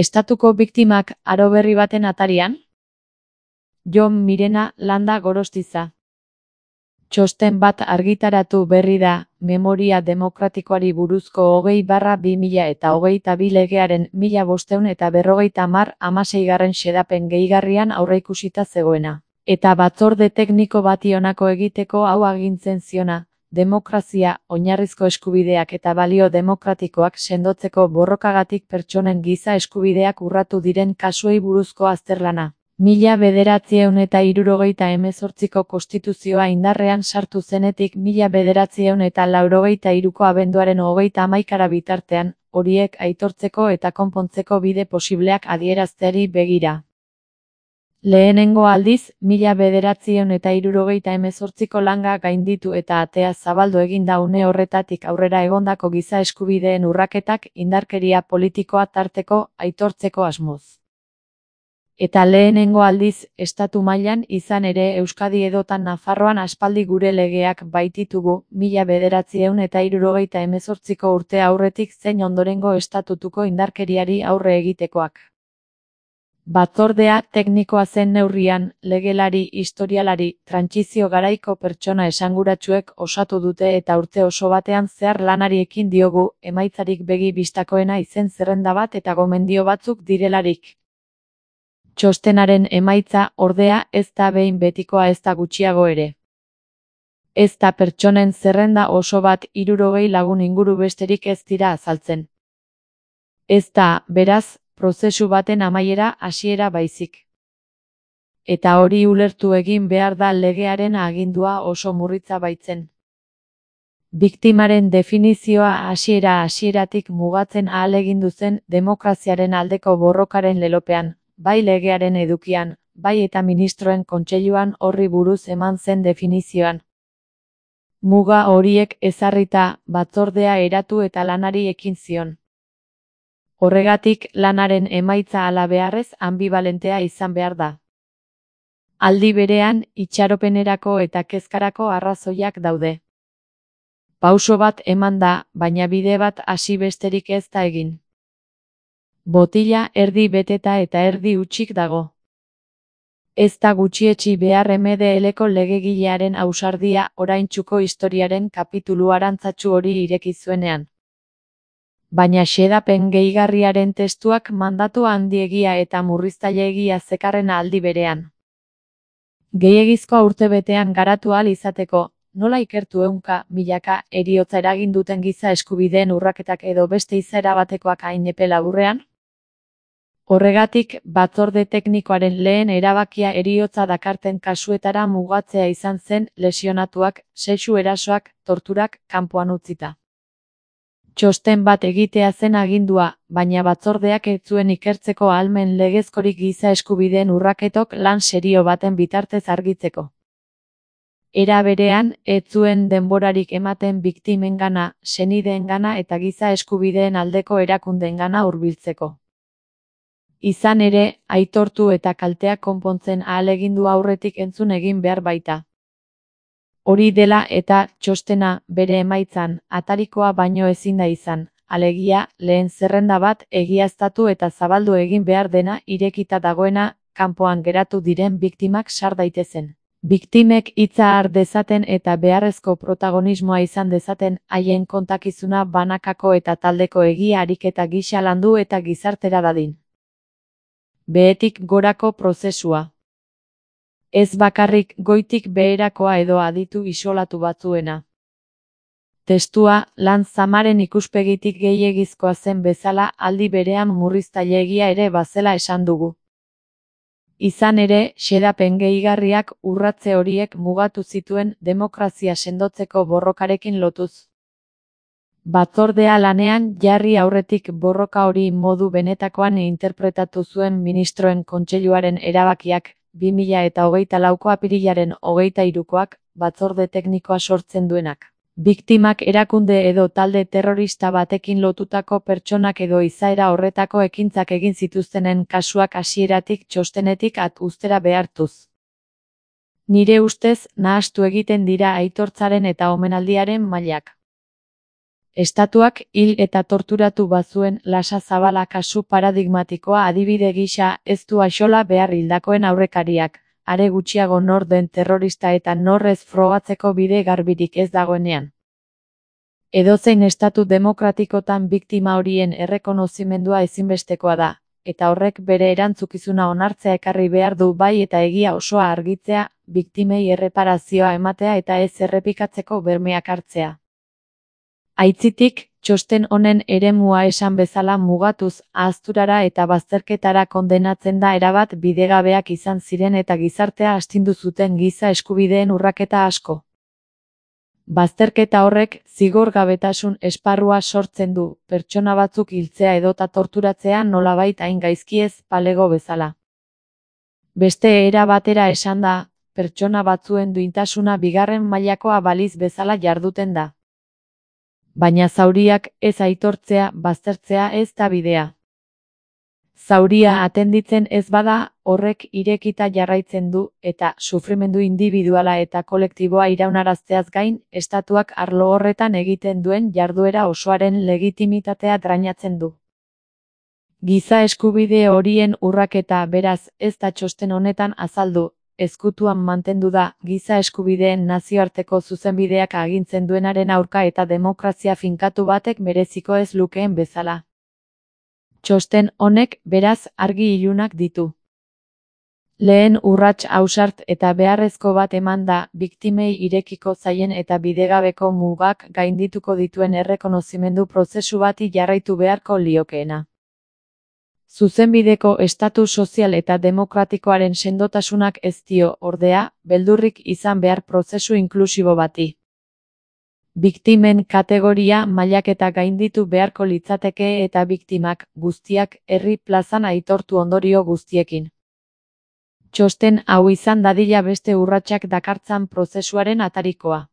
Estatuko biktimak aro berri baten atarian? Jon Mirena Landa Gorostiza. Txosten bat argitaratu berri da, Memoria Demokratikoari buruzko 20/2022 legearen 1550 xedapen gehigarrian aurreikusita zegoena. Eta batzorde tekniko bati honako egiteko hau agintzen ziona, demokrazia, oinarrizko eskubideak eta balio demokratikoak sendotzeko borrokagatik pertsonen giza eskubideak urratu diren kasuei buruzko azterlana. 1978ko konstituzioa indarrean sartu zenetik 1983ko abenduaren 31 bitartean, horiek aitortzeko eta konpontzeko bide posibleak adierazteari begira. Lehenengo aldiz, 1978ko langa gainditu eta atea zabaldu egin da une horretatik aurrera egondako giza eskubideen urraketak indarkeria politikoa tarteko aitortzeko asmoz. Eta lehenengo aldiz, estatu mailan izan ere Euskadi edota Nafarroan aspaldi gure legeak baititugu, 1978ko urte aurretik zein ondorengo estatutuko indarkeriari aurre egitekoak. Batzordea teknikoa zen neurrian, legelari, historialari, trantsizio garaiko pertsona esanguratsuek osatu dute eta urte oso batean zehar lanari ekin diogu, emaitzarik begi bistakoena izen zerrenda bat eta gomendio batzuk direlarik. Txostenaren emaitza, ordea, ez da behin betikoa ezta gutxiago ere. Ez da pertsonen zerrenda oso bat 60 lagun inguru besterik ez dira azaltzen. Ez da, beraz, prozesu baten amaiera hasiera baizik. Eta hori ulertu egin behar da legearen agindua oso murritza baitzen. Biktimaren definizioa hasieratik mugatzen ahalegindu zen demokraziaren aldeko borrokaren lelopean, bai legearen edukian, bai eta ministroen kontseiluan horri buruz eman zen definizioan. Muga horiek ezarrita, batzordea eratu eta lanari ekin zion. Horregatik, lanaren emaitza hala beharrez anbibalentea izan behar da. Aldi berean, itxaropenerako eta kezkarako arrazoiak daude. Pauso bat eman da, baina bide bat hasi besterik ez da egin. Botila erdi beteta eta erdi hutsik dago. Ez da gutxietsi behar MDL-ko legegilearen ausardia oraintsuko historiaren kapitulu arantzatsu hori ireki zuenean. Baina xedapen gehigarriaren testuak mandatu handiegia eta murriztaileegia zekarren aldi berean. Gehiegizkoa urtebetean garatu ahal izateko, nola ikertu ehunka, milaka, heriotza eragin duten giza eskubideen urraketak edo beste izaera batekoak hain epe laburrean? Horregatik, batzorde teknikoaren lehen erabakia heriotza dakarten kasuetara mugatzea izan zen lesionatuak, sexu erasoak, torturak, kanpoan utzita. Txosten bat egitea zen agindua, baina batzordeak ez zuen ikertzeko ahalmen legezkorik giza eskubideen urraketok lan serio baten bitartez argitzeko. Era berean, ez zuen denborarik ematen biktimengana, senideengana eta giza eskubideen aldeko erakundeengana hurbiltzeko. Izan ere, aitortu eta kalteak konpontzen ahalegindu aurretik entzun egin behar baita. Hori dela eta txostena bere emaitzan, atarikoa baino ezin da izan, alegia, lehen zerrenda bat egiaztatu eta zabaldu egin behar dena irekita dagoena, kanpoan geratu diren biktimak sar daitezen. Biktimek hitza har dezaten eta beharrezko protagonismoa izan dezaten, haien kontakizuna banakako eta taldeko egia ariketa gisa landu eta gizartera dadin. Behetik gorako prozesua. Ez bakarrik goitik beherakoa edo aditu isolatu batzuena. Testua, lan zamaren ikuspegitik gehiegizkoa zen bezala aldi berean murriztaileegia ere bazela esan dugu. Izan ere, xedapen gehigarriak urratze horiek mugatu zituen demokrazia sendotzeko borrokarekin lotuz. Batzordea lanean jarri aurretik borroka hori modu benetakoan interpretatu zuen ministroen kontseiluaren erabakiak, 2024ko apirilaren 23koak, batzorde teknikoa sortzen duenak. Biktimak erakunde edo talde terrorista batekin lotutako pertsonak edo izaera horretako ekintzak egin zituztenen kasuak hasieratik txostenetik uztera behartuz. Nire ustez, nahastu egiten dira aitortzaren eta omenaldiaren mailak. Estatuak hil eta torturatu bazuen Lasa Zabala kasu paradigmatikoa adibide gisa ez du axola behar hildakoen aurrekariak, are gutxiago nor den terrorista eta nor ez frogatzeko bide garbirik ez dagoenean. Edozein estatu demokratikotan biktima horien errekonozimendua ezinbestekoa da, eta horrek bere erantzukizuna onartzea ekarri behar du bai eta egia osoa argitzea, biktimei erreparazioa ematea eta ez errepikatzeko bermeak hartzea. Aitzitik, txosten honen eremua esan bezala mugatuz, ahazturara eta bazterketara kondenatzen da erabat bidegabeak izan ziren eta gizartea astindu zuten giza eskubideen urraketa asko. Bazterketa horrek zigorgabetasun esparrua sortzen du, pertsona batzuk hiltzea edota torturatzea nolabait hain gaizkiez palego bezala. Beste era batera esanda, pertsona batzuen duintasuna bigarren mailakoa baliz bezala jarduten da. Baina zauriak ez aitortzea, baztertzea ez da bidea. Zauria atenditzen ez bada, horrek irekita jarraitzen du, eta sufrimendu indibiduala eta kolektiboa iraunarazteaz gain, estatuak arlo horretan egiten duen jarduera osoaren legitimitatea drainatzen du. Giza eskubide horien urraketa beraz ez da txosten honetan azaldu, ezkutuan mantendu da, giza eskubideen nazioarteko zuzenbideak agintzen duenaren aurka eta demokrazia finkatu batek mereziko ez lukeen bezala. Txosten honek, beraz, argi ilunak ditu. Lehen urrats ausart eta beharrezko bat eman da, biktimei irekiko zaien eta bidegabeko mugak gaindituko dituen errekonozimendu prozesu bati jarraitu beharko liokeena. Zuzenbideko estatu sozial eta demokratikoaren sendotasunak ez dio, ordea, beldurrik izan behar prozesu inklusibo bati. Biktimen kategoria mailaketa gainditu beharko litzateke eta biktimak guztiak herri plazan aitortu ondorio guztiekin. Txosten hau izan dadila beste urratsak dakartzan prozesuaren atarikoa.